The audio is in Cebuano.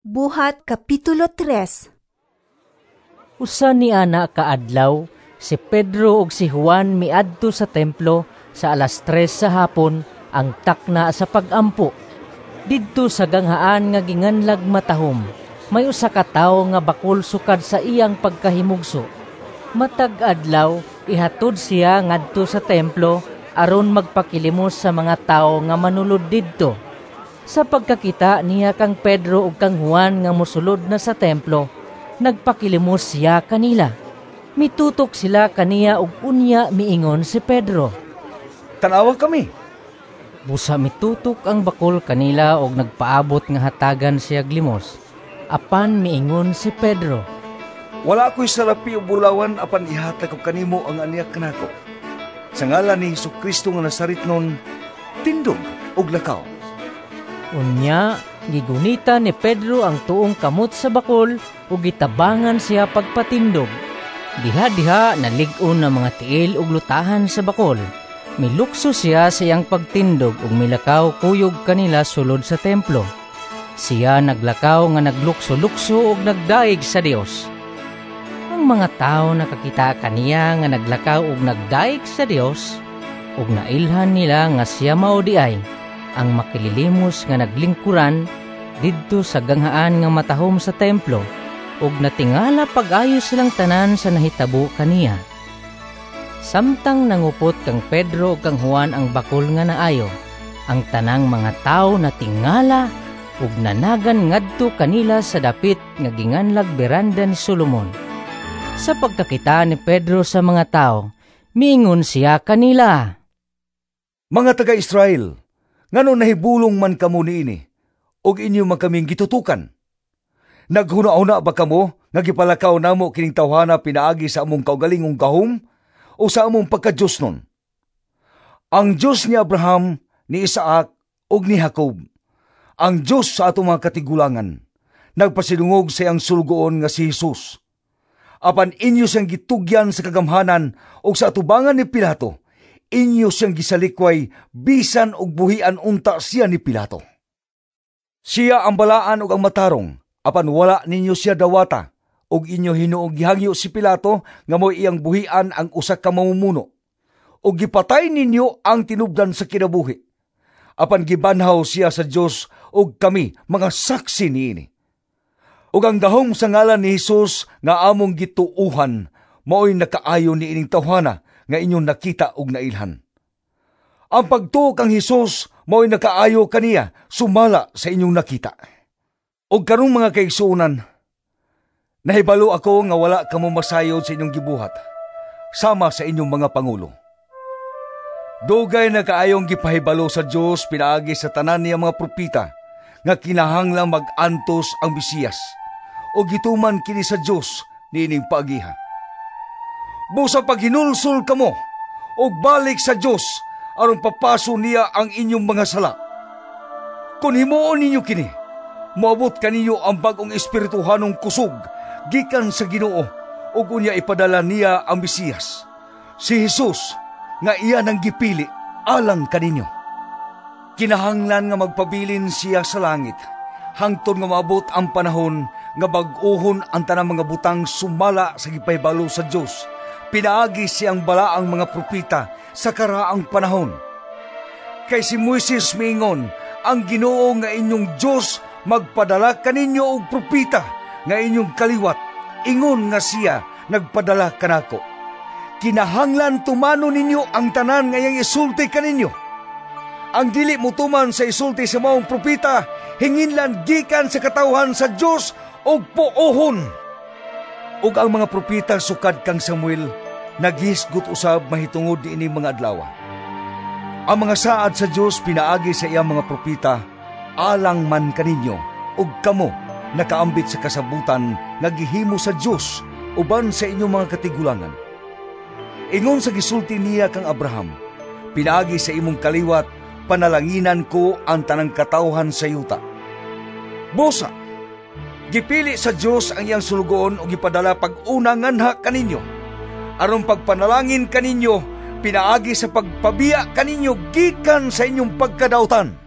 Buhat Kapitulo 3. Usa ni ana ka adlaw, si Pedro ug si Juan miadto sa templo sa 3:00 sa hapon, ang takna sa pag-ampo. Didto sa ganghaan nga ginganlag Matahom, may usa ka tawo nga bakol sukad sa iyang pagkahimugso. Matag adlaw ihatod siya ngadto sa templo aron magpakilimos sa mga tawo nga manulod didto. Sa pagkakita niya kang Pedro ug kang Juan nga mosulod na sa templo, nagpakilimos siya kanila. Mitutok sila kaniya ug unya miingon si Pedro, "Tan-awa kami." Busa mitutok ang bakol kanila og nagpaabot nga hatagan siya limos. Apan miingon si Pedro, "Wala ko'y salapi o bulawan, apan ihatag ko kanimo ang aniya kanako. Sa ngalan ni Hesukristo nga Nazaretnon, tindog og lakaw." Unya, gigunita ni Pedro ang tuong kamot sa bakol ug gitabangan siya pagpatindog. Diha-diha nalig-on ang mga tiil ug lutahan sa bakol. Milukso siya sa iyang pagtindog ug milakaw kuyog kanila sulod sa templo. Siya naglakaw nga naglukso-lukso ug nagdaig sa Dios. Ang mga tawo nakakita kaniya nga naglakaw ug nagdaig sa Dios, ug nailhan nila nga siya mao diay ang makililimos nga naglingkuran didto sa ganghaan nga Matahom sa templo, ug natingala pag-ayo silang tanan sa nahitabo kaniya. Samtang nangupot kang Pedro ug kang Juan ang bakol nga naayo, ang tanang mga tawo natingala ug nanagan ngadto kanila sa dapit nga ginganlag Beranda ni Solomon. Sa pagkakita ni Pedro sa mga tawo, miingon siya kanila, "Mga taga-Israel, ngano nahibulong man kamo niini, ug inyo man kaming gitutukan? Naghuna-huna ba kamo nga gipalakaw namo kining tawhana pinaagi sa among kaugalingong gahom o sa among pagka-Diyos nun? Ang Diyos ni Abraham, ni Isaac ug ni Jacob, ang Diyos sa atong mga katigulangan, nagpasidungog sa iyang sulugoon nga si Jesus. Apan inyo siyang gitugyan sa kagamhanan ug sa atubangan ni Pilato, inyo siyang gisalikway bisan og buhian unta siya ni Pilato. Siya ang balaan ug ang matarong, apan wala ninyo siya dawata, ug inyo hinuong gihangyo si Pilato nga mo'y iyang buhian ang usa ka mamumuno. Ug gipatay ninyo ang tinubdan sa kinabuhi. Apan gibanhaw siya sa Dios ug kami mga saksi niini. Ug ang gahom sa ngalan ni Hesus nga among gituohan mao'y nakaayo niining tawhana nga inyong nakita ug nailhan. Ang pagtuo kang Hesus mao'y nakaayo kaniya sumala sa inyong nakita. Ug karong mga kaigsuonan, nahibalo ako nga wala kamo masayod sa inyong gibuhat, sama sa inyong mga pangulo. Dugay na kaayong gipahibalo sa Dios pinaagi sa tanan niya mga propeta nga kinahanglang mag-antos ang Mesiyas, ug gituman kini sa Dios niining paagiha. Busa paghinulsol kamo ug balik sa Dios aron papaso niya ang inyong mga sala. Kun himuon ninyo kini, moabot kaninyo ang bag-ong espirituhanong kusog gikan sa Ginoo, ug unya ipadala niya ang Mesiyas, si Hesus nga iya nang gipili alang kaninyo. Kinahanglan nga magpabilin siya sa langit hangtod nga maabot ang panahon nga bag-ohon ang tanang mga butang sumala sa gipahibalo sa Dios pinaagi siyang balaang mga propeta sa karaang panahon. Kay si Moises miingon, ang Ginoo nga inyong Dios magpadala kaninyo og propeta nga inyong kaliwat, ingon nga siya nagpadala kanako. Kinahanglan tumano ninyo ang tanan nga iyang isulti kaninyo. Ang dili motuman sa isulti sa maong propeta, hinginlan gikan sa katawhan sa Dios og puohon. Ug ang mga propeta sukad kang Samuel naghisgot usab mahitungod niini mga adlaw. Ang mga saad sa Dios pinaagi sa iyang mga propeta alang man kaninyo, ug kamo nakaambit sa kasabutan nga gihimo sa Dios uban sa inyong mga katigulangan. Ingon sa gisulti niya kang Abraham, pinaagi sa imong kaliwat panalanginan ko ang tanang katawhan sa yuta. Busa, gipili sa Dios ang iyang sulugoon ug gipadala pag-una nganha kaninyo, aron pagpanalangin kaninyo pinaagi sa pagpabiya kaninyo gikan sa inyong pagkadautan.